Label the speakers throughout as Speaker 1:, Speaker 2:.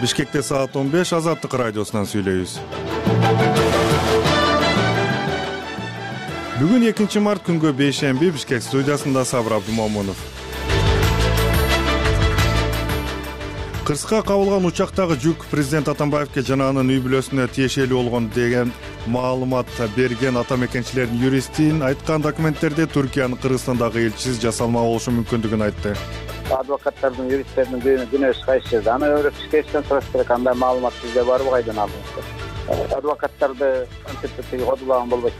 Speaker 1: Бишкекте саат 15 Азаттык радиосунан сүйлөйбүз. Бүгүн 2 март күнгө бейшемби. Бишкек студиясында Сабыр Абдумомунов. Кырсыкка кабылган учактагы жүк президент Атамбаевке жана анын үй бүлөсүнө тиешелүү болгон деген маалымат берген ата мекенчилердин юристин айткан документтерде Түркиянын Кыргызстандагы элчиси жасалма болушу мүмкүндүгүн айтты.
Speaker 2: Адвокаттардын, юристтердин күнөөсү кайсы жерде? Аны Бишкектен сураш керек. Андай маалымат бизде барбы, кайдан алдыңыздар? Адвокаттарды антип кодулаган болбойт.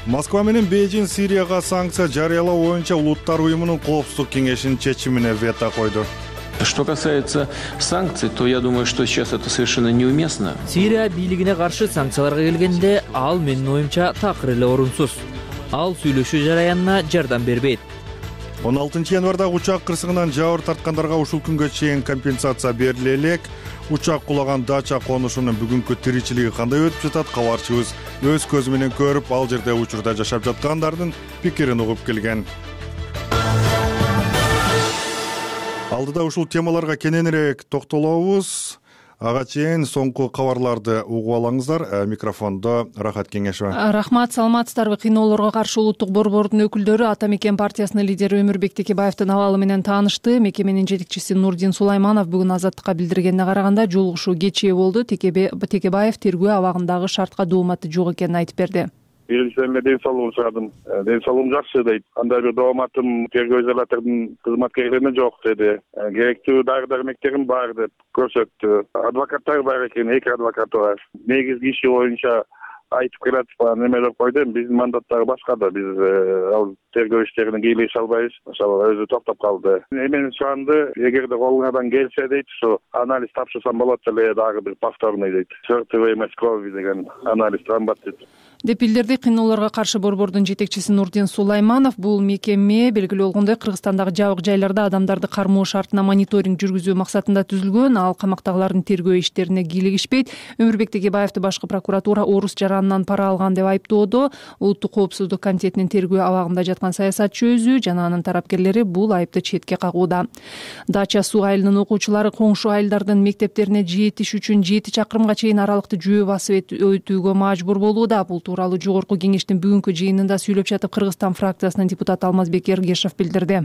Speaker 1: Москва менен Бейжиң Сирияга санкция жарыялоо боюнча Улуттар уюмунун коопсуздук кеңешинин чечимине вето койду.
Speaker 3: Что касается санкций, то я думаю, что сейчас это совершенно неуместно.
Speaker 4: Сирия бийлигине каршы санкцияларга келгенде ал менин оюмча такыр эле орунсуз. Ал сүйлөшүү жараянына жардам бербейт.
Speaker 1: 16 январда учак кырсыгынан жабыр тарткандарга ушул күнгө чейин компенсация бериле элек. Учак кулаган дача конушунун бүгүнкү тиричилиги кандай өтүп жатат? Кабарчыбыз өз көзү менен көрүп, ал жерде учурда жашап жаткандардын пикирин угуп келген. Алдыда ушул темаларга кененирээк токтолобуз. Ага чейин соңку кабарларды угуп алыңыздар. Микрофондо Рахат Кеңешева.
Speaker 5: Рахмат, саламатсыздарбы? Кыйноолорго каршы улуттук борбордун өкүлдөрү Ата Мекен партиясынын лидери Өмүрбек Текебаевдин абалы менен таанышты. Мекеменин жетекчиси Нурдин Сулайманов бүгүн Азаттыкка билдиргенине караганда жолугушуу кечээ болду. Текебаев тергөө абагындагы шартка дооматы жок экенин айтып берди.
Speaker 6: Биринчиден мен ден соолугун сурадым. Ден соолугум жакшы дейт. Андай бир дооматым тергөө изолятордун кызматкерлерине жок деди. Керектүү дары-дармектерим бар деп көрсөттү. Адвокаттар бар экен, 2 адвокат бар. Негизги иши боюнча айтып келатып немелеп койду. Биздин мандаттары башка да. Биз ал тергөө иштерине кийлеше албайбыз. Ошол өзү токтоп калды. Эмени суранды, эгерде колуңардан келсе дейт, ушу анализ тапшырсам болот эле, дагы бир повторный дейт. Сортовоймость крови деген анализ трамбат дейт.
Speaker 5: Деп билдирди кыйноолорго каршы борбордун жетекчиси Нурдин Сулайманов. Бул мекеме белгилүү болгондой Кыргызстандагы жабык жайларда адамдарды кармоо шартына мониторинг жүргүзүү максатында түзүлгөн. Ал камактагылардын тергөө иштерине кийлигишпейт. Өмүрбек Текебаевди башкы прокуратура орус жаранынан пара алган деп айыптоодо. Улуттук коопсуздук комитетинин тергөө абагында жаткан саясатчы өзү жана анын тарапкерлери бул айыпты четке кагууда. Дача суу айылынын окуучулары коңшу айылдардын мектептерине жетиш үчүн 7 чакырымга чейин аралыкты жөө басып өтүүгө мажбур болууда. Бул тууралуу жогорку кеңештин бүгүнкү жыйынында сүйлөп жатып Кыргызстан фракциясынын депутаты Алмазбек Эргешев билдирди.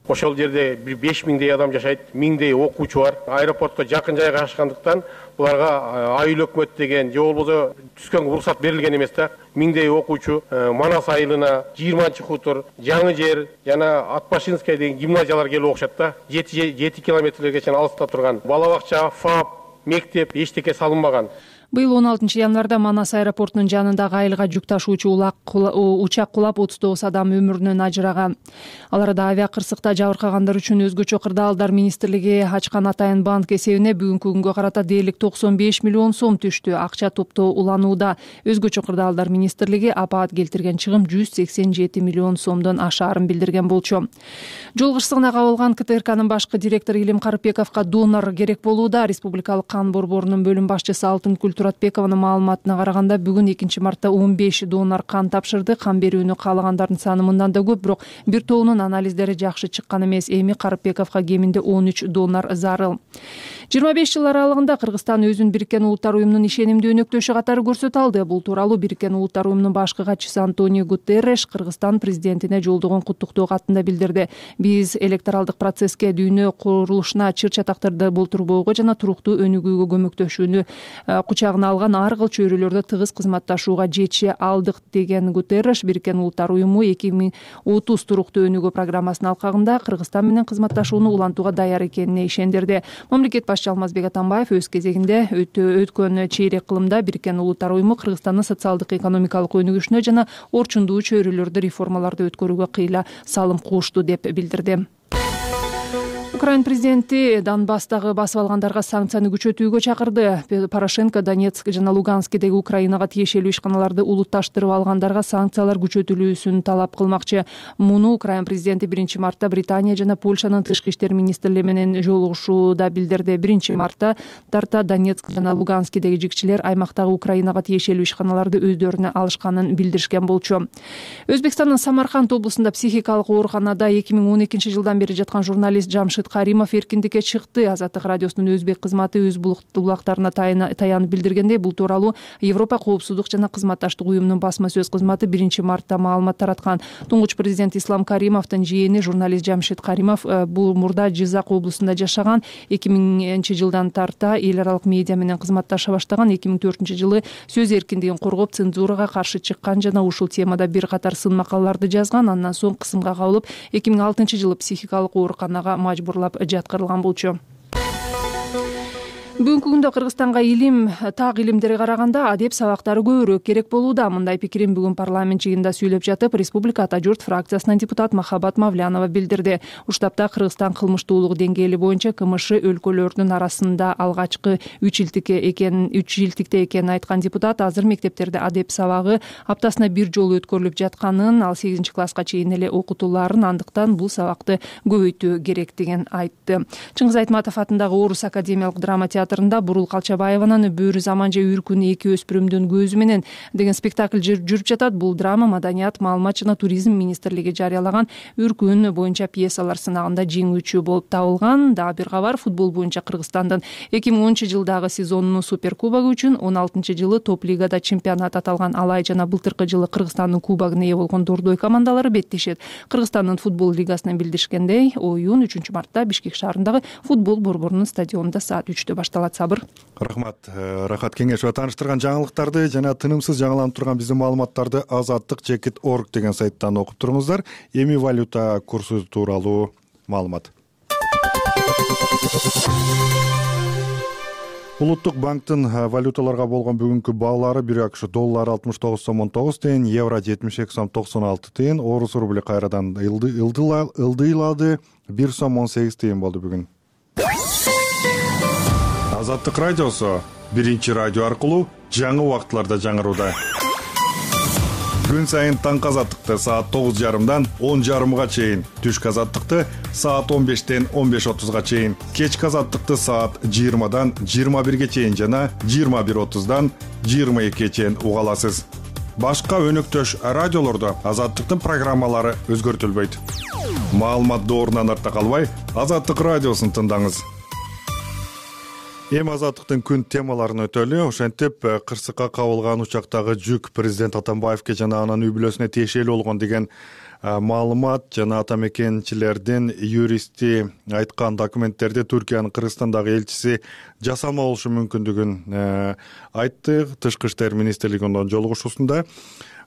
Speaker 7: Ошол жерде 5000дей адам жашайт, 1000дей окуучу бар. Аэропортко жакын жайгашкандыктан буларга айыл өкмөт деген же болбосо түскөн уруксат берилген эмес да. 1000дей окуучу Манас айылына, 20-хутур, Жаңы жер жана Атбашинская деген гимназиялар келип окушат да. 7 километрлерге чейин алыста турган. Бала бакча, ФАП, мектеп эчтеке салынбаган.
Speaker 5: Быйыл 16 январда Манас аэропортунун жанындагы айылга жүк ташуучу учак кулап 39 адам өмүрүнөн ажыраган. Аларда авиакырсыкта жабыркагандар үчүн өзгөчө кырдаалдар министрлиги ачкан Атайын банк эсебине бүгүнкү күнгө карата дээрлик 95 миллион сом түштү. Акча топтоо уланууда. Өзгөчө кырдаалдар министрлиги апаат келтирген чыгым 187 миллион сомдон ашаарын билдирген болчу. Жол кырсыгына кабылган КТРКнын башкы директору Илим Карыпбековго донор керек болууда. Республикалык кан борборунун бөлүм башчысы Алтынкүл Туратбекованын маалыматына караганда бүгүн 2 мартта 15 донор кан тапшырды. Кан берүүнү каалагандардын саны мындан да көп, бирок бир тобунун анализдери жакшы чыккан эмес. Эми Карыпбековго кеминде 13 донор зарыл. 25 жыл аралыгында Кыргызстан өзүн Бириккен Улуттар уюмунун ишенимдүү өнөктөшү катары көрсөтө алды. Бул тууралуу Бириккен Улуттар уюмунун башкы катчысы Антонио Гутерреш Кыргызстан президентине жолдогон куттуктоо катында билдирди. Биз электоралдык процесске, дүйнө курулушуна чыр чатактарды болтурбоого жана туруктуу өнүгүүгө көмөктөшүүнү кучагына алган ар кыл чөйрөлөрдө тыгыз кызматташууга жетише алдык деген Гутерреш Бириккен Улуттар уюму 2030 туруктуу өнүгүү программасынын алкагында Кыргызстан менен кызматташууну улантууга даяр экенине ишендирди. Мамлекет башчысы Алмазбек Атамбаев өз кезегинде өткөн чейрек кылымда Бириккен Улуттар уюму Кыргызстандын социалдык экономикалык өнүгүшүнө жана орчундуу чөйрөлөрдө реформаларды өткөрүүгө кыйла салым кушту деп билдирди. Украина президенти Донбасстагы басып алгандарга санкцияны күчөтүүгө чакырды. Порошенко Донецк жана Луганскдеги Украинага тиешелүү ишканаларды улутташтырып алгандарга санкциялар күчөтүлүүсүн талап кылмакчы. Муну Украина президенти 1 мартта Британия жана Польшанын тышкы иштер министрлери менен жолугушууда билдирди. 1 мартта тарта Донецк жана Луганскдеги жигчилер аймактагы Украинага тиешелүү ишканаларды өздөрүнө алышканын билдиришкен болчу. Өзбекстандын Самарканд облусунда психикалык ооруканада 2012 жылдан бери жаткан журналист Жамшит Каримов эркиндикке чыкты. Азаттык радиосунун өзбек кызматы өз булактарына таянып билдиргендей, бул тууралуу Европа коопсуздук жана кызматташтык уюмунун басма сөз кызматы 1-мартта маалымат тараткан. Туңгуч президент Ислам Каримовдун жээни журналист Жамшид Каримов бул мурда Жизак облусунда жашаган. 2000-жылдан тарта эл аралык медиа менен кызматташа баштаган. 2004-жылы сөз эркиндигин коргоп, цензурага каршы чыккан жана ушул темада бир катар сын макалаларды жазган. Андан соң кысымга кабылып, 2006-жылы психикалык ооруканага мажбурлап жаткырылган болчу. Бүгүнкү күндө Кыргызстанга так илимдерге караганда адеп сабактары көбүрөөк керек болууда. Мындай пикирин бүгүн парламент жыйынында сүйлөп жатып, Республика Ата журт фракциясынын депутат Махабат Мавлянова билдирди. Уштапта Кыргызстан кылмыштуулук деңгээли боюнча КМШ өлкөлөрүнүн арасында алгачкы 3 жылдикте экенин айткан депутат азыр мектептерде адеп сабагы аптасына бир жолу өткөрүлүп жатканын, ал 8-класска чейин эле окутулаарын, андыктан бул сабакты көбөйтүү керектигин айтты. Чыңгыз Айтматов атындагы Орус академиялык драма театрында Бурул Калчабаеванын Бөрү заман же Үркүн эки өспүрүмдүн көзү менен деген спектакль жүрүп жатат. Бул драма Маданият, маалымат жана туризм министрлиги жарыялаган Үркүн боюнча пьесалар сынагында жеңүүчү болуп табылган. Дагы бир кабар, футбол боюнча Кыргызстандын 2010-жылдагы сезонунун суперкубогу үчүн 16-жылы топ лигада чемпионат аталган Алай жана былтыркы жылы Кыргызстандын кубогуна ээ болгон Дордой командалары беттешет. Кыргызстандын футбол лигасынан билдиришкендей, оюн 3-мартта Бишкек шаарындагы футбол борборунун стадионунда саат 3-тө башталат. Сабыр.
Speaker 1: Рахмат. Рахат Кеңешова тааныштырган жаңылыктарды жана тынымсыз жаңыланып турган биздин маалыматтарды azattik.org деген сайттан окуп туруңуздар. Эми валюта курсу тууралуу маалымат. Улуттук банктын валюталарга болгон бүгүнкү баалары: 1 АКШ доллары 69 сом 19 тиен, евро 72 сом 96 тиен, орус рубли кайрадан ылдыйлады, 1 сом 18 тиен болду бүгүн. Азаттык радиосу биринчи радио аркылуу жаңы убактыларда жаңырууда. Күн сайын таңкы азаттыкты саат 9:30дан 10:30га чейин, түшкү азаттыкты саат 15-тен 15:30га чейин, кечки азаттыкты саат 20-дан 21-ге чейин жана 21:30дан 22-ге чейин уга аласыз. Башка өнөктөш радиолордо азаттыктын программалары өзгөртүлбөйт. Маалымат доорунан артта калбай, Азаттык радиосун тыңдаңыз. Эми азаттыктын күн темаларын өтөлү. Ошентип, кырсыкка кабылган учактагы жүк президент Атамбаевке жана анын үй бүлөсүнө тиешелүү болгон деген маалымат жана атамекенчилердин юристи айткан документтерде Түркиянын Кыргызстандагы элчиси жасалма болушу мүмкүндүгүн айтты. Тышкы иштер министрлигинин жолугушуусунда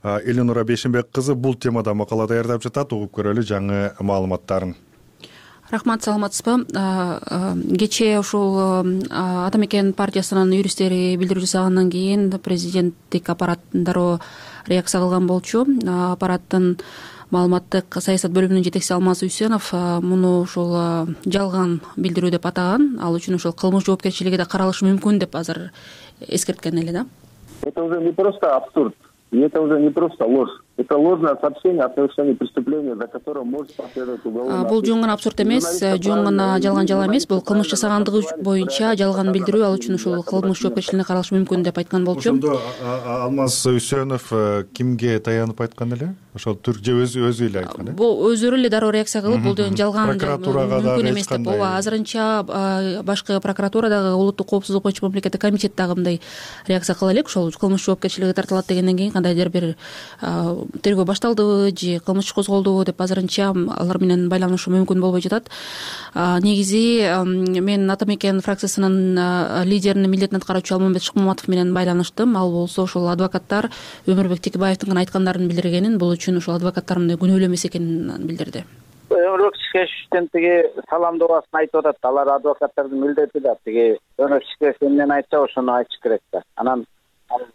Speaker 1: Эленора Бешенбек кызы бул темада макала даярдап жатат. Угуп көрөлү жаңы маалыматтарын.
Speaker 8: Рахмат, саламатсызбы? Кечээ ушул Атамекен партиясынын юристтери билдирүү жасагандан кийин президенттик аппарат дароо реакция кылган болчу. Аппараттын маалыматтык саясат бөлүмүнүн жетекчиси Алмаз Үсенов муну ушул жалган билдирүү деп атаган. Ал үчүн ушул кылмыш жоопкерчилиги да каралышы мүмкүн деп азыр эскерткен эле да.
Speaker 9: Это уже не просто абсурд, и это уже не просто ложь. Это ложное сообщение о совершении преступления, за которое может последовать уголовное.
Speaker 8: Бул жөн гана абсурд эмес, жөн гана жалган жала эмес. Бул кылмыш жасагандыгы боюнча жалган билдирүү, ал үчүн ушул кылмыш жоопкерчилигине каралышы мүмкүн деп айткан болчу.
Speaker 1: Ошондо Алмаз Үсенов кимге таянып айткан эле? Ошол же өзү эле айткан э?
Speaker 8: Бул өзүрү эле дароо реакция кылып, бул деген жалган мүмкүн эмес деп. Ооба, азырынча башкы прокуратурадагы улуттук коопсуздук боюнча мамлекеттик комитет дагы мындай реакция кыла элек. Ошол кылмыш жоопкерчилиги тартылат дегенден кийин кандайдыр бир тергөө башталдыбы же кылмыш иш козголдубу деп азырынча алар менен байланышу мүмкүн болбой жатат. Негизи мен Атамекен фракциясынын лидеринин милдетин аткаруучу Алмамбет Шыкмаматов менен байланыштым. Ал болсо ушул адвокаттар Өмүрбек Текебаевдин гана айткандарын билдиргенин, бул үчүн ушул адвокаттар мындай күнөөлүү эмес экенин билдирди.
Speaker 2: Өмүрбек Текебаевдин тиги саламдообасын айтып атат. Алар адвокаттардын милдети да. Тиги Өмүрбек Текебаев эмнени айтса ошону айтыш керек да. Анан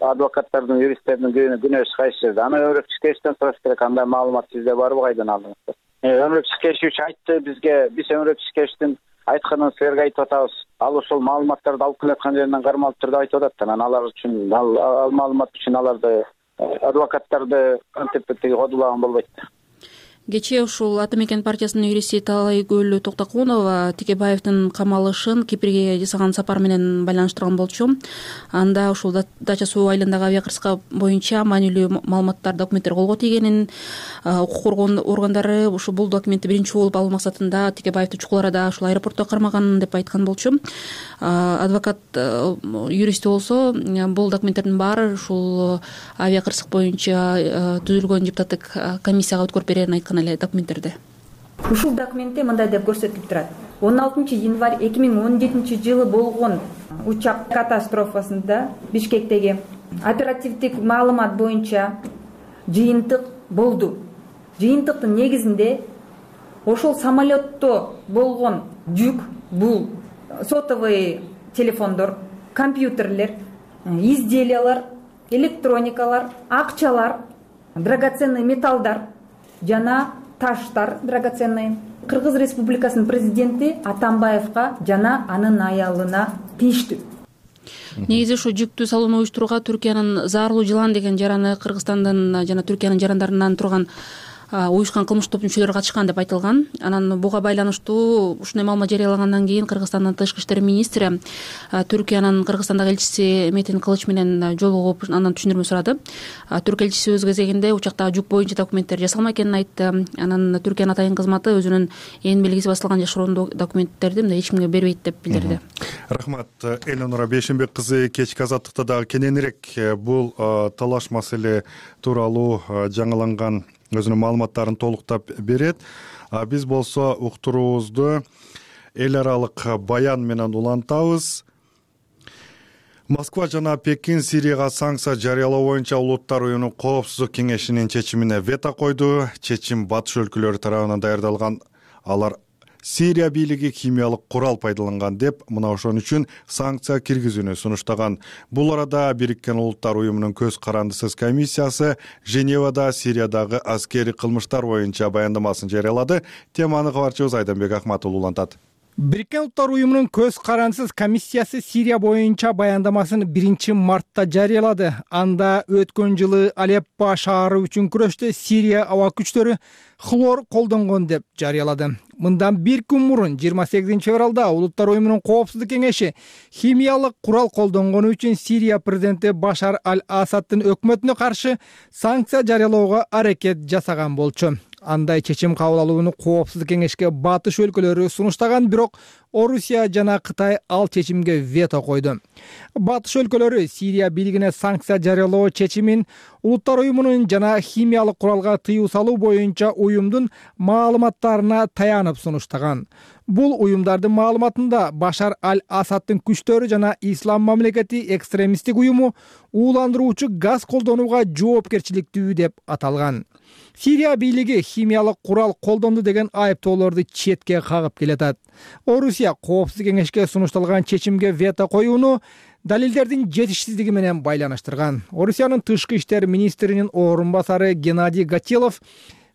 Speaker 2: адвокаттардын, юристтердин күнөөсү кайсы жерде? Аны Өмүрбек Текебаевден сураш керек. Андай маалымат сизде барбы, кайдан алдыңыз? Өмүрбек Текебаев айтты бизге, биз Өмүрбек Текебаевдин айтканын силерге айтып атабыз. Ал ошол маалыматтарды алып келаткан жеринен кармалып турду айтып атат. Анан алар үчүн, ал маалымат үчүн аларды адвокаттарды антип кодулаган болбойт.
Speaker 8: Кечээ ушул Ата мекен партиясынын юристи Талайгүл Токтокунова Текебаевдин камалышын Кипрге жасаган сапар менен байланыштырган болчу. Анда ушул Дача суу айылындагы авиакырсык боюнча маанилүү маалыматтар, документтер колго тийгенин, укук коргоо органдары ушу бул документти биринчи болуп алуу максатында Текебаевди чукул арада ушул аэропортто кармаган деп айткан болчу. Адвокат юристи болсо бул документтердин баары ушул авиакырсык боюнча түзүлгөн депутаттык комиссияга өткөрүп берерин айткан эле документтерде.
Speaker 10: Ушул документте мындай деп көрсөтүлүп турат. 16 январь 2017 жылы болгон учак катастрофасында Бишкектеги оперативдик маалымат боюнча жыйынтык болду. Жыйынтыктын негизинде ошол самолетто болгон жүк, бул сотовый телефондор, компьютерлер, изделиялар, электроникалар, акчалар, драгоценный металлдар жана таштар драгоценный Кыргыз Республикасынын президенти Атамбаевга жана анын аялына тийиштүү.
Speaker 8: Негизи ушу жүктү салууну уюштурууга Түркиянын Зарлуу жылан деген жараны Кыргызстандын жана Түркиянын жарандарынан турган уюшкан кылмыш топ мүчөлөрү катышкан деп айтылган. Анан буга байланыштуу ушундай маалымат жарыялагандан кийин Кыргызстандын тышкы иштер министри Түркиянын Кыргызстандагы элчиси Метин Кылыч менен жолугуп андан түшүндүрмө сурады. Түрк элчиси өз кезегинде учактагы жүк боюнча документтер жасалма экенин айтты. Анан Түркиянын атайын кызматы өзүнүн ээн белгиси басылган жашыруун документтерди мындай эч кимге бербейт деп билдирди.
Speaker 1: Рахмат, Элнура Бейшенбек кызы. Кечки азаттыкта дагы кененирээк бул талаш маселе тууралуу жаңыланган өзүнүн маалыматтарын толуктап берет. Биз болсо уктуруубузду эл аралык баян менен улантабыз. Москва жана Пекин Сирияга санкция жарыялоо боюнча Улуттар уюмунун коопсуздук кеңешинин чечимине вето койду. Чечим батыш өлкөлөрү тарабынан даярдалган. Алар Сирия бийлиги химиялык курал пайдаланган деп мына ошон үчүн санкция киргизүүнү сунуштаган. Бул арада Бириккен Улуттар уюмунун көз карандысыз комиссиясы Женевада Сириядагы аскери кылмыштар боюнча баяндамасын жарыялады. Теманы кабарчыбыз Айданбек Акматулуу улантат.
Speaker 11: Бириккен Улуттар уюмунун көз карандысыз комиссиясы Сирия боюнча баяндамасын 1 мартта жарыялады. Анда өткөн жылы Алеппо шаары үчүн күрөштө Сирия аба күчтөрү хлор колдонгон деп жарыялады. Мындан 1 күн мурун 28 февралда Улуттар уюмунун коопсуздук кеңеши химиялык курал колдонгону үчүн Сирия президенти Башар аль-Асаддын өкмөтүнө каршы санкция жарыялоого аракет жасаган болчу. Андай чечим кабыл алууну коопсуздук кеңешке батыш өлкөлөрү сунуштаган, бирок Орусия жана Кытай ал чечимге вето койду. Батыш өлкөлөрү Сирия бийлигине санкция жарыялоо чечимин Улуттар уюмунун жана химиялык куралга тыюу салуу боюнча уюмдун маалыматтарына таянып сунуштаган. Бул уюмдардын маалыматында Башар аль-Асаддын күчтөрү жана Ислам мамлекети экстремисттик уюму ууландыруучу газ колдонууга жоопкерчиликтүү деп аталган. Сирия бийлиги химиялык курал колдонду деген айыптоолорду четке кагып келатат. Орусия коопсуздук кеңешке сунушталган чечимге вето коюуну далилдердин жетишсиздиги менен байланыштырган. Орусиянын тышкы иштер министринин орун басары Геннадий Гатилов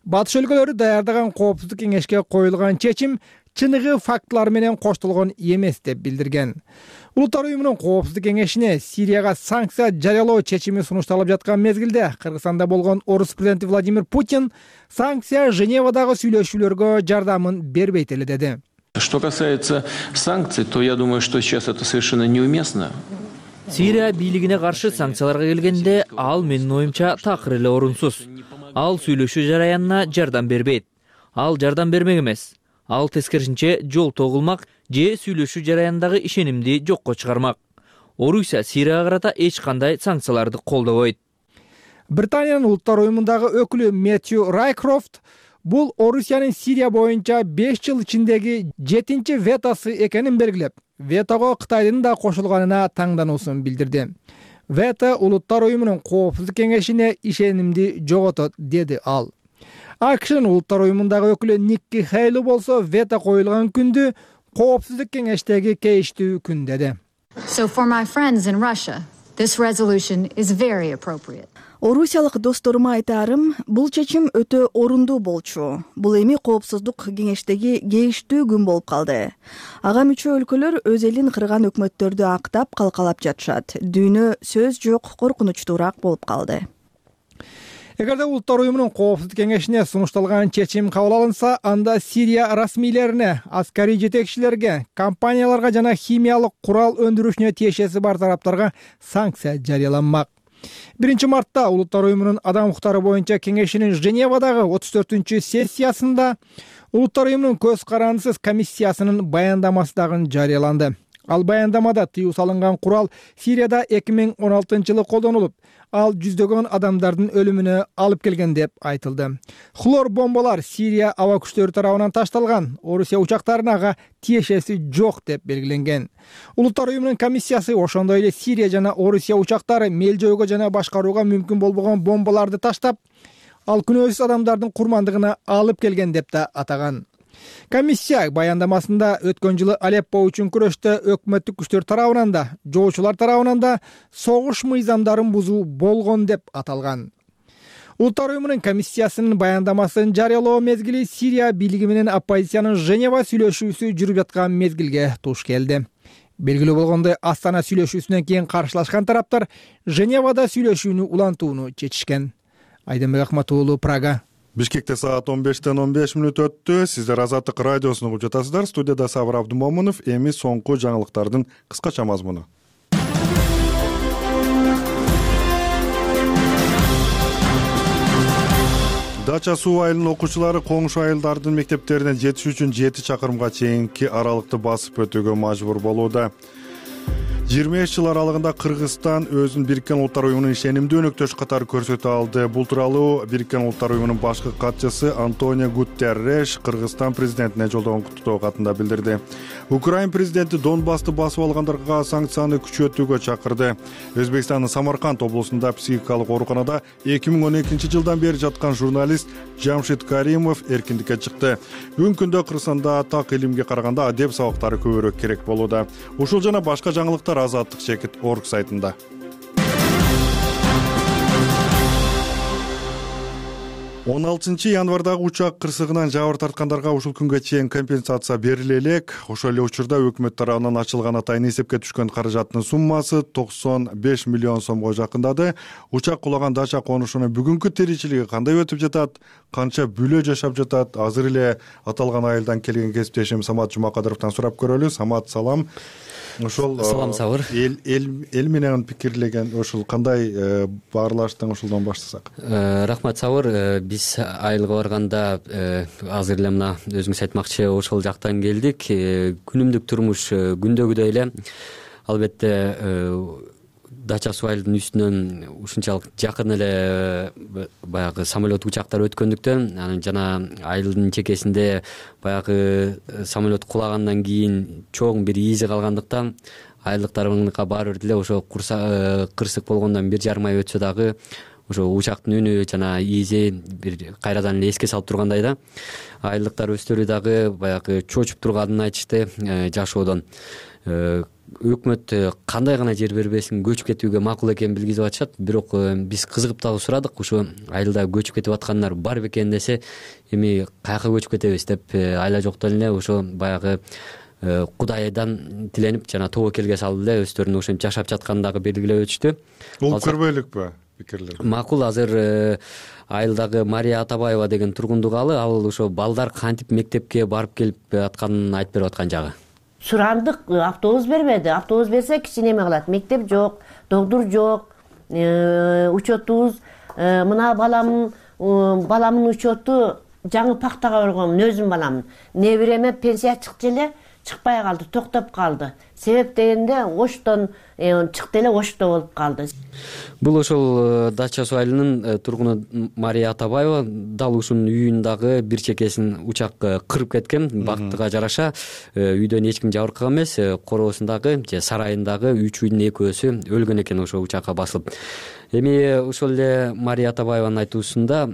Speaker 11: батыш өлкөлөрү даярдаган коопсуздук кеңешке коюлган чечим чыныгы фактылар менен коштолгон эмес деп билдирген. Улуттар уюмунун коопсуздук кеңешине Сирияга санкция жарыялоо чечими сунушталып жаткан мезгилде Кыргызстанда болгон Орус президенти Владимир Путин санкция Женевадагы сүйлөшүүлөргө жардамын бербейт эле деди.
Speaker 3: Что касается санкций, то я думаю, что сейчас это совершенно неуместно.
Speaker 4: Сирия бийлигине каршы санкцияларга келгенде ал менин оюмча такыр эле орунсуз. Ал сүйлөшүү жараянына жардам бербейт. Ал жардам бермек эмес. Ал тескерисинче жол тогулмак же сүйлөшүү жараяндагы ишенимди жокко чыгармак. Орусия Сирияга карата эч кандай санкцияларды колдобойт.
Speaker 11: Британиянын Улуттар уюмундагы өкүлү Мэтью Райкрофт бул Орусиянын Сирия боюнча 5 жыл ичиндеги 7-чи ветосу экенин белгилеп, ветого Кытайдын да кошулганына таңдануусун билдирди. Вето Улуттар уюмунун коопсуздук кеңешине ишенимди жоготот, деди ал. АКШнын Улуттар уюмундагы өкүлү Никки Хейли болсо вето коюлган күндү коопсуздук кеңештеги кейиштүү күн деди.
Speaker 12: So for my friends in Russia, this resolution is very appropriate.
Speaker 13: Орусиялык досторума айтарым, бул чечим өтө орундуу болчу. Бул эми коопсуздук кеңештеги кейиштүү күн болуп калды. Ага мүчө өлкөлөр өз элин кырган өкмөттөрдү актап калкалап жатышат. Дүйнө сөз жок, коркунучтуураак болуп калды.
Speaker 11: Эгерде Улуттар уюмунун коопсуздук кеңешине сунушталган чечим кабыл алынса, анда Сирия расмийлерине, аскарий жетекчилерге, компанияларга жана химиялык курал өндүрүшүнө тиешеси бар тараптарга санкция жарыяланмак. 1 мартта Улуттар уюмунун адам укуктары боюнча кеңешинин Женевадагы 34 сессиясында Улуттар уюмунун көз карандысыз комиссиясынын баяндамасы дагы жарыяланды. Ал баяндамада тыюу салынган курал Сирияда 2016-жылы колдонулуп, ал жүздөгөн адамдардын өлүмүнө алып келген деп айтылды. Хлор бомбалар Сирия аба күчтөрү тарабынан ташталган, Орусия учактарына ага тиешеси жок деп белгиленген. Улуттар уюмунун комиссиясы ошондой эле Сирия жана Орусия учактары мел-жойгө жана башкарууга мүмкүн болбогон бомбаларды таштап, ал күнөөсүз адамдардын курмандыгына алып келген деп да атаган. Комиссия баяндамасында өткөн жылы Алеппо үчүн күрөштө өкмөттүк күчтөр тарабынан да, жоочулар тарабынан да согуш мыйзамдарын бузуу болгон деп аталган. Улуттар уюмунун комиссиясынын баяндамасын жарыялоо мезгили Сирия бийлиги менен оппозициянын Женева сүйлөшүүсү жүрүп аткан мезгилге туш келди. Белгилүү болгондой, Астана сүйлөшүүсүнөн кийин каршылашкан тараптар Женевада сүйлөшүүнү улантууну чечишкен. Айденбек Акматуулу, Прага.
Speaker 1: Бишкекте саат 15:15 өттү. Сиздер Азаттык радиосун угуп жатасыздар. Студияда Сабыр Абдымомунов. Эми соңку жаңылыктардын кыскача мазмуну. Дача суу айылынын окуучулары коңшу айылдардын мектептерине жетиш үчүн 7 чакырымга чейинки аралыкты басып өтүүгө мажбур болууда. 25 жыл аралыгында Кыргызстан өзүн Бириккен Улуттар уюмунун ишенимдүү өнөктөшү катары көрсөтө алды. Бул тууралуу Бириккен Улуттар уюмунун башкы катчысы Антонио Гутерреш Кыргызстан президентине жолдогон куттуктоо катында билдирди. Украин президенти Донбассты басып алгандарга санкцияны күчөтүүгө чакырды. Өзбекстандын Самарканд облусунда психикалык ооруканада 2012 жылдан бери жаткан журналист Жамшит Каримов эркиндикке чыкты. Бүгүнкү күндө Кыргызстанда так илимге караганда адеп сабактары көбүрөөк керек болууда. Ушул жана башка жаңылыктар Азаттык чекит орг сайтында. Он 6 январдагы учак кырсыгынан жабыр тарткандарга ушул күнгө чейин компенсация бериле элек. Ошол эле учурда өкмөт тарабынан ачылган атайын эсепке түшкөн каражаттын суммасы 95 миллион сомго жакындады. Учак кулаган дача конушунун бүгүнкү тиричилиги кандай өтүп жатат, канча бүлө жашап жатат? Азыр эле аталган айылдан келген кесиптешим Самат Жумакадыровдон сурап көрөлү. Самат, салам. Ошол
Speaker 14: салам Сабыр.
Speaker 1: Эл менен пикирлеген ошол кандай баарлаштың, ошолдон баштасак.
Speaker 14: Рахмат Сабыр. Биз айылга барганда азыр эле мына өзүңүз айтмакчы ошол жактан келдик. Күнүмдүк турмуш күндөгүдөй эле. Албетте дача суу айылдын үстүнөн ушунчалык жакын эле баягы самолет учактар өткөндүктөн, анан жана айылдын чекесинде баягы самолет кулагандан кийин чоң бир изи калгандыктан айылдыктарга баары бир деле ошо кырсык болгондон 1,5 ай өтсө дагы ошо учактын үнү жана изи бир кайрадан эле эске салып тургандай да. Айылдыктар өздөрү дагы баягы чочуп турганын айтышты жашоодон. Өкмөт кандай гана жер бербесин көчүп кетүүгө макул экенин билгизип атышат. Бирок биз кызыгып дагы сурадык, ушу айылда көчүп кетип аткандар бар бекен десе, эми каяка көчүп кетебиз деп айла жоктон эле ошо баягы Кудайдан тиленип жана тобокелге салып эле өздөрүнүн ошентип жашап жатканын дагы белгилеп өтүштү.
Speaker 1: Бул көрбөйлүкпү пикирлер?
Speaker 14: Макул. Азыр айылдагы Мария Атабаева деген тургундугалы, ал ошо балдар кантип мектепке барып келип атканын айтып берип аткан жагы.
Speaker 15: Сурандык, автобус бербеди. Автобус берсе кичине эме кылат. Мектеп жок, доктур жок, учетубуз мына баламдын учету жаңы пактага баргам, өзүм баламдын. Небиреме пенсия чыкты эле, чыкпай калды, токтоп калды. Себеп дегенде оштон чыкты эле, ошто болуп калды.
Speaker 14: Бул ошол дача суу айылынын тургуну Мария Атабаева. Дал ушунун үйүн дагы бир чекесин учак кырып кеткен. Бактыга жараша үйдөн эч ким жабыркаган эмес. Короосундагы же сарайындагы 3 үйдүн 2-өсү өлгөн экен ошо учакка басылып. Эми ошол эле Мария Атабаеванын айтуусунда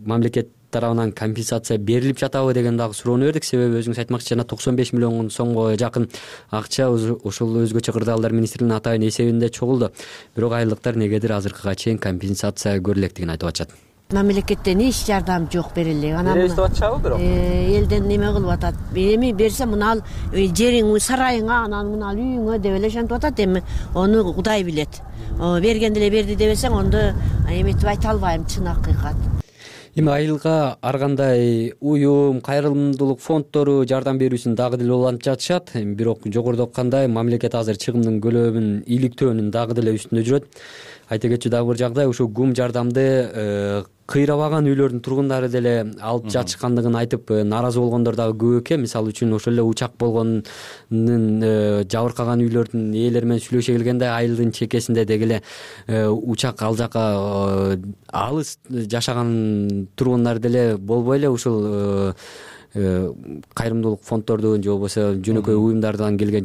Speaker 14: мамлекет тарабынан компенсация берилип жатабы деген дагы суроону бердик. Себеби өзүңүз айтмакчы, жана 95 миллион сомго жакын акча ошол өзгөчө кырдаалдар министринин атайын эсебинде чогулду. Бирок айылдыктар негедир азыркыга чейин компенсация көрүлектигин айтып атышат.
Speaker 15: мамлекеттен эч жардам жок берели анан
Speaker 4: беребиз деп атышабы бирок
Speaker 15: элден неме кылып атат эми берсе мына ал жериң сарайыңа анан мына ал үйүңө деп эле ошентип атат эми ону Кудай билет берген деле берди дебесең ондо эметип айта албайм чын акыйкат.
Speaker 14: Эми айылга ар кандай уюм, кайрымдуулук фонддору жардам берүүсүн дагы деле улантып жатышат. Бирок жогоруда айткандай мамлекет азыр чыгымдын көлөмүн иликтөөнүн дагы деле үстүндө жүрөт. Айта кетчү дагы бир жагдай ушул гум жардамды кыйрабаган үйлөрдүн тургундары деле алып жатышкандыгын айтып нааразы болгондор дагы көп экен. Мисалы үчүн ошол эле учак болгондун жабыркаган үйлөрдүн ээлери менен сүйлөшө келгенде айылдын чекесинде деги эле учак ал жака алыс жашаган тургундар деле болбой эле ушул кайрымдуулук фонддордун же болбосо жөнөкөй уюмдардан келген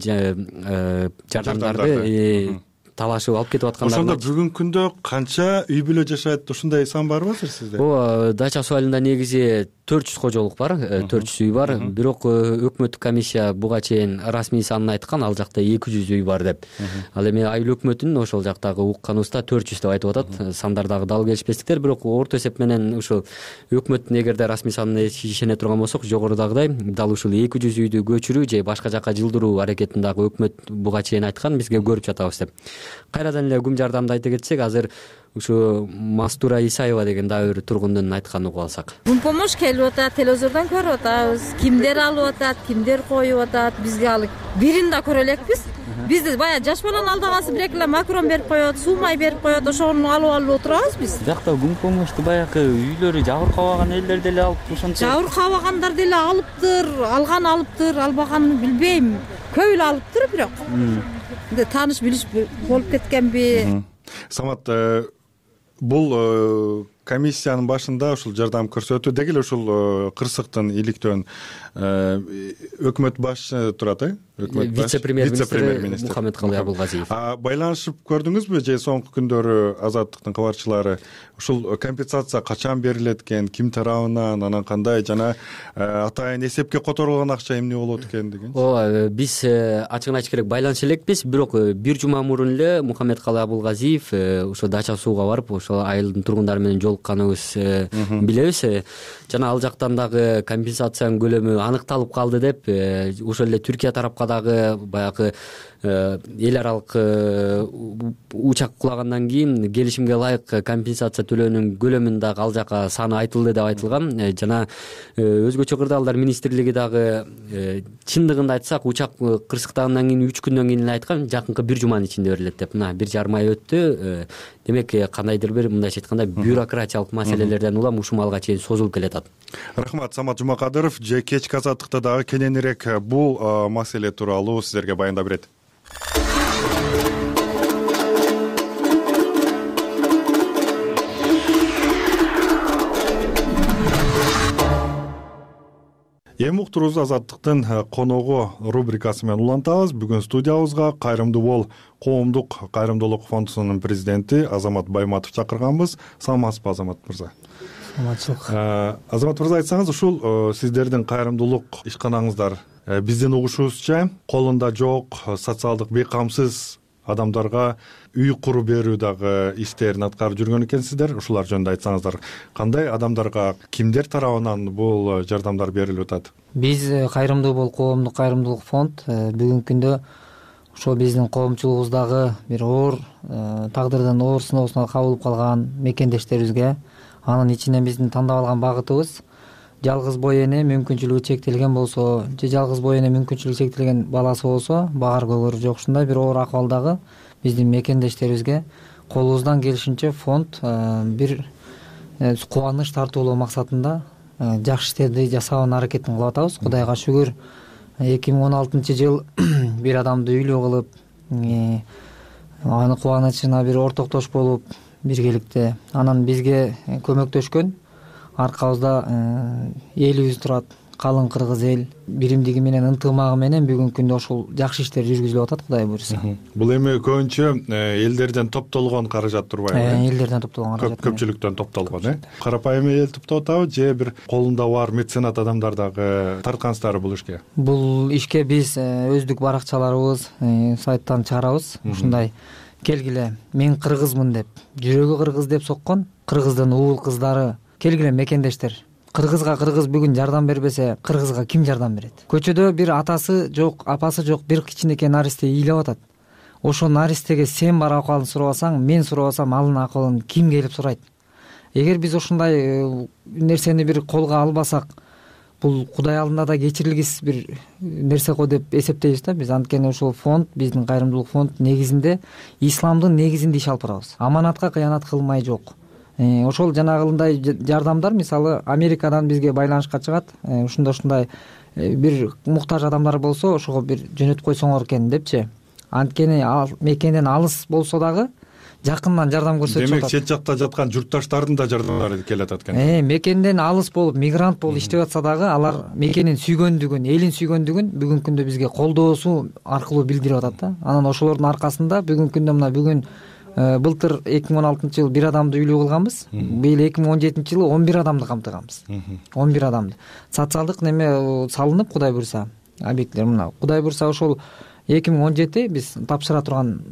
Speaker 14: жардамдарды талашып алып кетип аткандар.
Speaker 1: Ошондо бүгүнкү күндө канча үй бүлө жашайт? Ушундай сан барбы сизде?
Speaker 14: Ооба, дача суу айылында негизи 400 кожолук бар, 400 үй бар. Бирок өкмөттүк комиссия буга чейин расмий санын айткан, ал жакта 200 үй бар деп. Ал эми айыл өкмөтүнүн ошол жактагы укканыбызда 400 деп айтып атат. Сандар дагы дал келишпестиктер, бирок орто эсеп менен ушул өкмөттүн эгерде расмий санына ишене турган болсок, жогорудагыдай дал ушул 200 үйдү көчүрүү же башка жака жылдыруу аракетин дагы өкмөт буга чейин айткан, бизге көрүп жатабыз деп. Кайрадан эле гум жардамды айта кетсек, азыр ушу Мастура Исаева деген дагы бир тургундун айтканын угуп алсак.
Speaker 16: Гум помощь келип атат, телевизордон көрүп атабыз. Кимдер алып атат, кимдер коюп атат, бизге ал бирин да көрө элекпиз. Бизде баягы жаш баланы алдагасы бир эки эле макарон берип коет, суу май берип коет, ошону алып отурабыз биз.
Speaker 4: Жакта гум помощьту баягы үйлөрү жабыркабаган элдер деле алып ошончо.
Speaker 16: Жабыркабагандар деле алыптыр, алыптыр, албаганын билбейм. Көп эле алыптыр бирок. Тааныш билиш болуп кеткенби?
Speaker 1: Самат, бул комиссиянын башында ушул жардам көрсөтүү деги эле ушул кырсыктын иликтөөн өкмөт башчысы турат,
Speaker 14: вице-премьер-министр
Speaker 1: Мухаммедкалый Абылгазиев. Байланышып көрдүңүзбү же соңку күндөрү Азаттыктын кабарчылары ушул компенсация качан берилет экен, ким тарабынан, анан кандай жана атайын эсепке которулган акча эмне болот экен деген?
Speaker 14: Ооба, биз ачыгын айтыш керек байланыша элекпиз, бирок бир жума мурун эле Мухаммедкалый Абылгазиев ошо дача сууга барып, ошол айылдын тургундары менен жолукканыбыз билебиз. Жана ал жактан дагы компенсациянын көлөмү аныкталып калды деп, ошол эле Түркия тарапка дагы баягы эл аралык учак кулагандан кийин келишимге ылайык компенсация төлөөнүн көлөмүн дагы ал жака саны айтылды деп айтылган. Жана өзгөчө кырдаалдар министрлиги дагы чындыгында айтсак учак кырсыктагандан кийин 3 күндөн кийин эле айткан, жакынкы бир жуманын ичинде берилет деп. Мына 1,5 ай өттү. Демек кандайдыр бир мындайча айтканда бюрократиялык маселелерден улам ушул малга чейин созулуп келатат.
Speaker 1: Рахмат, Самат Жумакадыров же кечки Азаттыкта дагы кененирээк бул маселе тууралуу сиздерге баяндап берет. Эми уктуруубузду Азаттыктын коногу рубрикасы менен улантабыз. Бүгүн студиябызга Кайрымдуу бол коомдук кайрымдуулук фондунун президенти Азамат Байматов чакырганбыз. Саламатсызбы, Азамат мырза?
Speaker 17: Саламатчылык.
Speaker 1: Азамат мырза, айтсаңыз, ушул сиздердин кайрымдуулук ишканаңыздар биздин угушубузча колунда жок, социалдык бейкамсыз адамдарга үй куруп берүү дагы иштерин аткарып жүргөн экенсиздер. Ушулар жөнүндө айтсаңыздар, кандай адамдарга, кимдер тарабынан бул жардамдар берилип атат?
Speaker 17: Биз Кайрымдуу бол коомдук кайрымдуулук фонд бүгүнкү күндө ошо биздин коомчулугубуздагы бир оор тагдырдын оор сыноосуна кабылып калган мекендештерибизге, анын ичинен биздин тандап алган багытыбыз жалгыз бой эне мүмкүнчүлүгү чектелген болсо же жалгыз бой эне мүмкүнчүлүгү чектелген баласы болсо, багар көгөрү жок ушундай бир оор акыбалдагы биздин мекендештерибизге колубуздан келишинче фонд бир кубаныч тартуулоо максатында жакшы иштерди жасаганын аракетин кылып атабыз. Кудайга шүгүр, 2016-жыл бир адамды үйлүү кылып, аны кубанычына бир ортоктош болуп биргеликте анан бизге көмөктөшкөн аркабызда элибиз турат. Калың кыргыз эл биримдиги менен ынтымагы менен бүгүнкү күндө ушул жакшы иштер жүргүзүлүп атат, Кудай буйруса.
Speaker 1: Бул эми көбүнчө элдерден топтолгон каражат турбайбы?
Speaker 17: Элдерден топтолгон каражат.
Speaker 1: Көпчүлүктөн топтолгон, Карапайым эл топтоп атабы же бир колунда бар меценат адамдар дагы тарткансыздарбы бул ишке?
Speaker 17: Бул ишке биз өздүк баракчаларыбыз, сайттан чыгарабыз. Ушундай келгиле, мен кыргызмын деп, жүрөгү кыргыз деп соккон кыргыздын уул кыздары келгиле мекендештер, кыргызга кыргыз бүгүн жардам бербесе кыргызга ким жардам берет? Көчөдө бир атасы жок, апасы жок бир кичинекей наристе ыйлап атат. Ошол наристеге сен барып акыбалын сурабасаң, мен сурабасам анын акыбалын ким келип сурайт? Эгер биз ушундай нерсени бир колго албасак, бул Кудай алдында да кечирилгис бир нерсе го деп эсептейбиз да биз. Анткени ушул фонд, биздин кайрымдуулук фонд негизинде исламдын негизинде иш алып барабыз. Аманатка кыянат кылмай жок. Ошол жанагындай жардамдар, мисалы Америкадан бизге байланышка чыгат. Ушундай бир муктаж адамдар болсо, ошого бир жөнөтүп койсоңор экен депчи. Анткени ал мекенден алыс болсо дагы жакындан жардам көрсөтүп атат.
Speaker 1: Демек, чет жакта жаткан журтташтардын да жардамдары келип атат экен.
Speaker 17: Мекенден алыс болуп, мигрант болуп иштеп атса дагы алар мекенин сүйгөндүгүн, элин сүйгөндүгүн бүгүнкү күндө бизге колдоосу аркылуу билдирип атат да. Анан ошолордун аркасында бүгүнкү күндө бүгүн былтыр 2016-жылы 1 адамды үйлүү кылганбыз. Быйыл 2017-жылы 11 адамды камтыганбыз. 11 адамды. Социалдык неме салынып, Кудай буйруса, объекттер мына. Кудай буйруса ошол 2017 биз тапшыра турган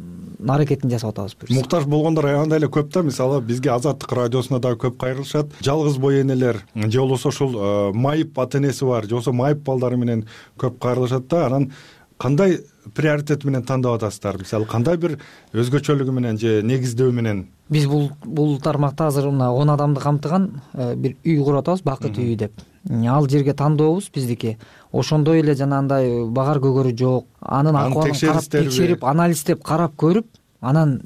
Speaker 17: аракетин жасап атабыз.
Speaker 1: Муктаж болгондор аябай эле көп да. Мисалы бизге Азаттык радиосуна да көп кайрылышат. Жалгыз бой энелер же болбосо ушул майып ата энеси бар, же болбосо майып балдары менен көп кайрылышат да. Анан кандай приоритет менен тандап атасыздар? Мисалы кандай бир өзгөчөлүгү менен же негиздөө менен?
Speaker 17: Биз бул тармакта азыр мына 10 адамды камтыган бир үй куруп атабыз, бакыт үйү деп. Ал жерге тандообуз биздики ошондой эле жанагындай багар көгөрү жок. Анын акыбалын карап текшерип, анализдеп карап көрүп, анан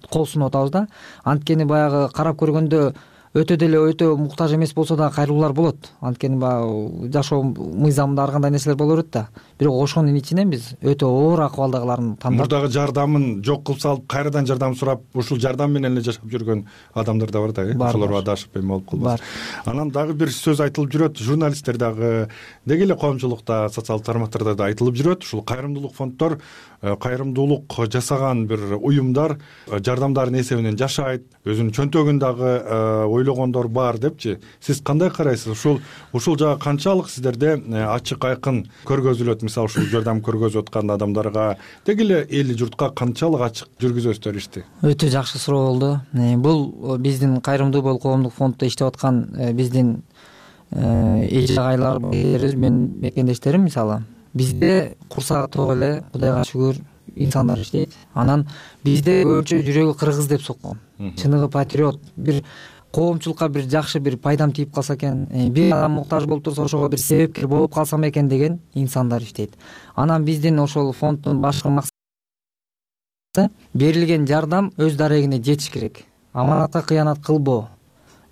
Speaker 17: кол сунуп атабыз да. Анткени баягы карап көргөндө өтө муктаж эмес болсо да кайрылуулар болот. Анткени баягы жашоо мыйзамында ар кандай нерселер боло берет да. Бирок ошонун ичинен биз өтө оор акыбалдагыларын тандап,
Speaker 1: мурдагы жардамын жок кылып салып, кайрадан жардам сурап, ушул жардам менен эле жашап жүргөн адамдар да бар да. Ошолорго адашып эме болуп калбас. Анан дагы бир сөз айтылып жүрөт, журналисттер дагы, деги эле коомчулукта, социалдык тармактарда да айтылып жүрөт. Ушул кайрымдуулук фонддор, кайрымдуулук жасаган бир уюмдар жардамдардын эсебинен жашайт, өзүнүн чөнтөгүн дагы ойлогондор бар депчи. Сиз кандай карайсыз? Ушул жагы канчалык сиздерде ачык айкын көргөзүлөт? Мисалы ушул жардам көргөзүп аткан адамдарга, деги эле эл журтка канчалык ачык жүргүзөсүздөр ишти?
Speaker 17: Өтө жакшы суроо болду. Бул биздин кайрымдуу бол коомдук фонддо иштеп аткан биздин эже агайлар, мен мекендештерим, мисалы бизде курсагы ток эле, Кудайга шүгүр, инсандар иштейт. Анан бизде көбүнчө жүрөгү кыргыз деп соккон. Чыныгы патриот, бир коомчулукка бир жакшы бир пайдам тийип калса экен, бир адам муктаж болуп турса ошого бир себепкер болуп калсам экен деген инсандар иштейт. Анан биздин ошол фонддун башкы максаты берилген жардам өз дарегине жетиш керек. Аманатка кыянат кылбоо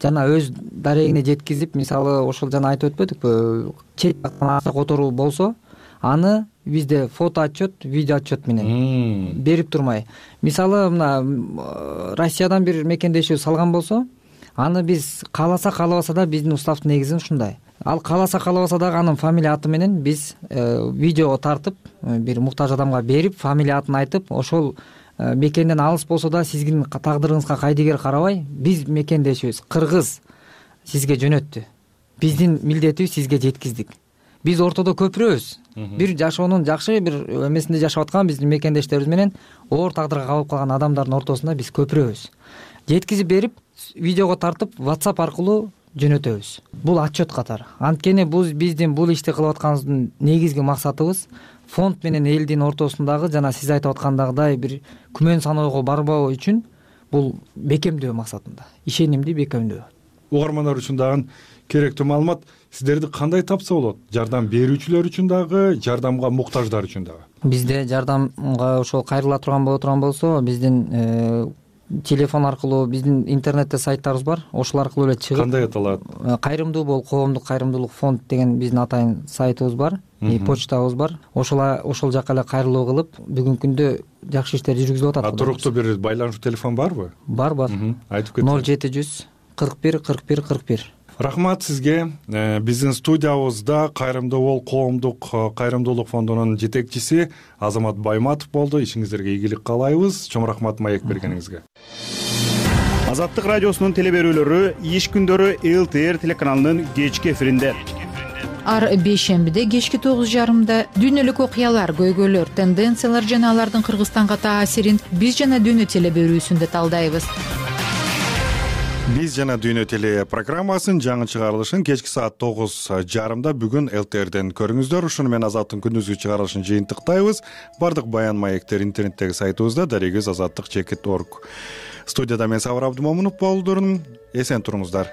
Speaker 17: жана өз дарегине жеткизип, мисалы ошол жана айтып өтпөдүкпү, чет жактан акча которуу болсо, аны бизде фото отчет, видео отчет менен берип турмай. Мисалы мына Россиядан бир мекендешүү салган болсо, аны биз кааласа да биздин уставдын негизи ушундай. Ал кааласа дагы анын фамилия аты менен биз видеого тартып, бир муктаж адамга берип, фамилия атын айтып, ошол мекенден алыс болсо да сиздин тагдырыңызга кайдыгер карабай, биз мекендешибиз кыргыз сизге жөнөттү. Биздин милдетибиз сизге жеткиздик. Биз ортодо көпүрөбүз. Бир жашоонун жакшы бир эмесинде жашап аткан биздин мекендештерибиз менен оор тагдырга кабылып калган адамдардын ортосунда биз көпүрөбүз. Жеткизип берип, видеого тартып, WhatsApp аркылуу жөнөтөбүз. Бул отчет катары. Анткени биздин бул ишти кылып атканыбыздын негизги максатыбыз фонд менен элдин ортосундагы жана сиз айтып аткандагыдай бир күмөн саноого барбоо үчүн бул бекемдөө максатында, ишенимди бекемдөө.
Speaker 1: Угармандар үчүн дагы керектүү маалымат, сиздерди кандай тапса болот? Жардам берүүчүлөр үчүн дагы, жардамга муктаждар үчүн дагы.
Speaker 17: Бизде жардамга ошол кайрыла турган болсо, биздин телефон аркылуу биздин интернетте сайттарыбыз бар. Ошол аркылуу эле чыгып.
Speaker 1: Кандай аталат?
Speaker 17: Кайрымдуу бол коомдук кайрымдуулук фонд деген биздин атайын сайтыбыз бар, почтабыз бар. Ошол жака эле кайрылуу кылып, бүгүнкү күндө жакшы иштер жүргүзүлүп атат.
Speaker 1: Туруктуу бир байланышуу телефон барбы?
Speaker 17: Бар.
Speaker 1: Айтып кетсеңиз.
Speaker 17: 0700 41 41 41.
Speaker 1: Рахмат сизге. Биздин студиябызда Кайрымдуу бол коомдук кайрымдуулук фондунун жетекчиси Азамат Байматов болду. Ишиңиздерге ийгилик каалайбыз. Чоң рахмат маек бергениңизге.
Speaker 18: Азаттык радиосунун телеберүүлөрү иш күндөрү ЛТР телеканалынын кечки эфиринде.
Speaker 19: Ар бейшембиде кечки 9:30 дүйнөлүк окуялар, көйгөйлөр, тенденциялар жана алардын Кыргызстанга таасирин биз жана дүйнө телеберүүсүндө талдайбыз.
Speaker 1: Биз жана Дүйнө теле программасынын жаңы чыгарылышын кечки саат 9:30 бүгүн ЛТРден көрүңүздөр. Ушуну менен Азаттын күндүзгү чыгарылышын жыйынтыктайбыз. Бардык баян маектер интернеттеги сайтыбызда, дарегиз azаттык.org. Студияда мен Сабыр Абдымомунов болдурмун. Эсен туруңуздар.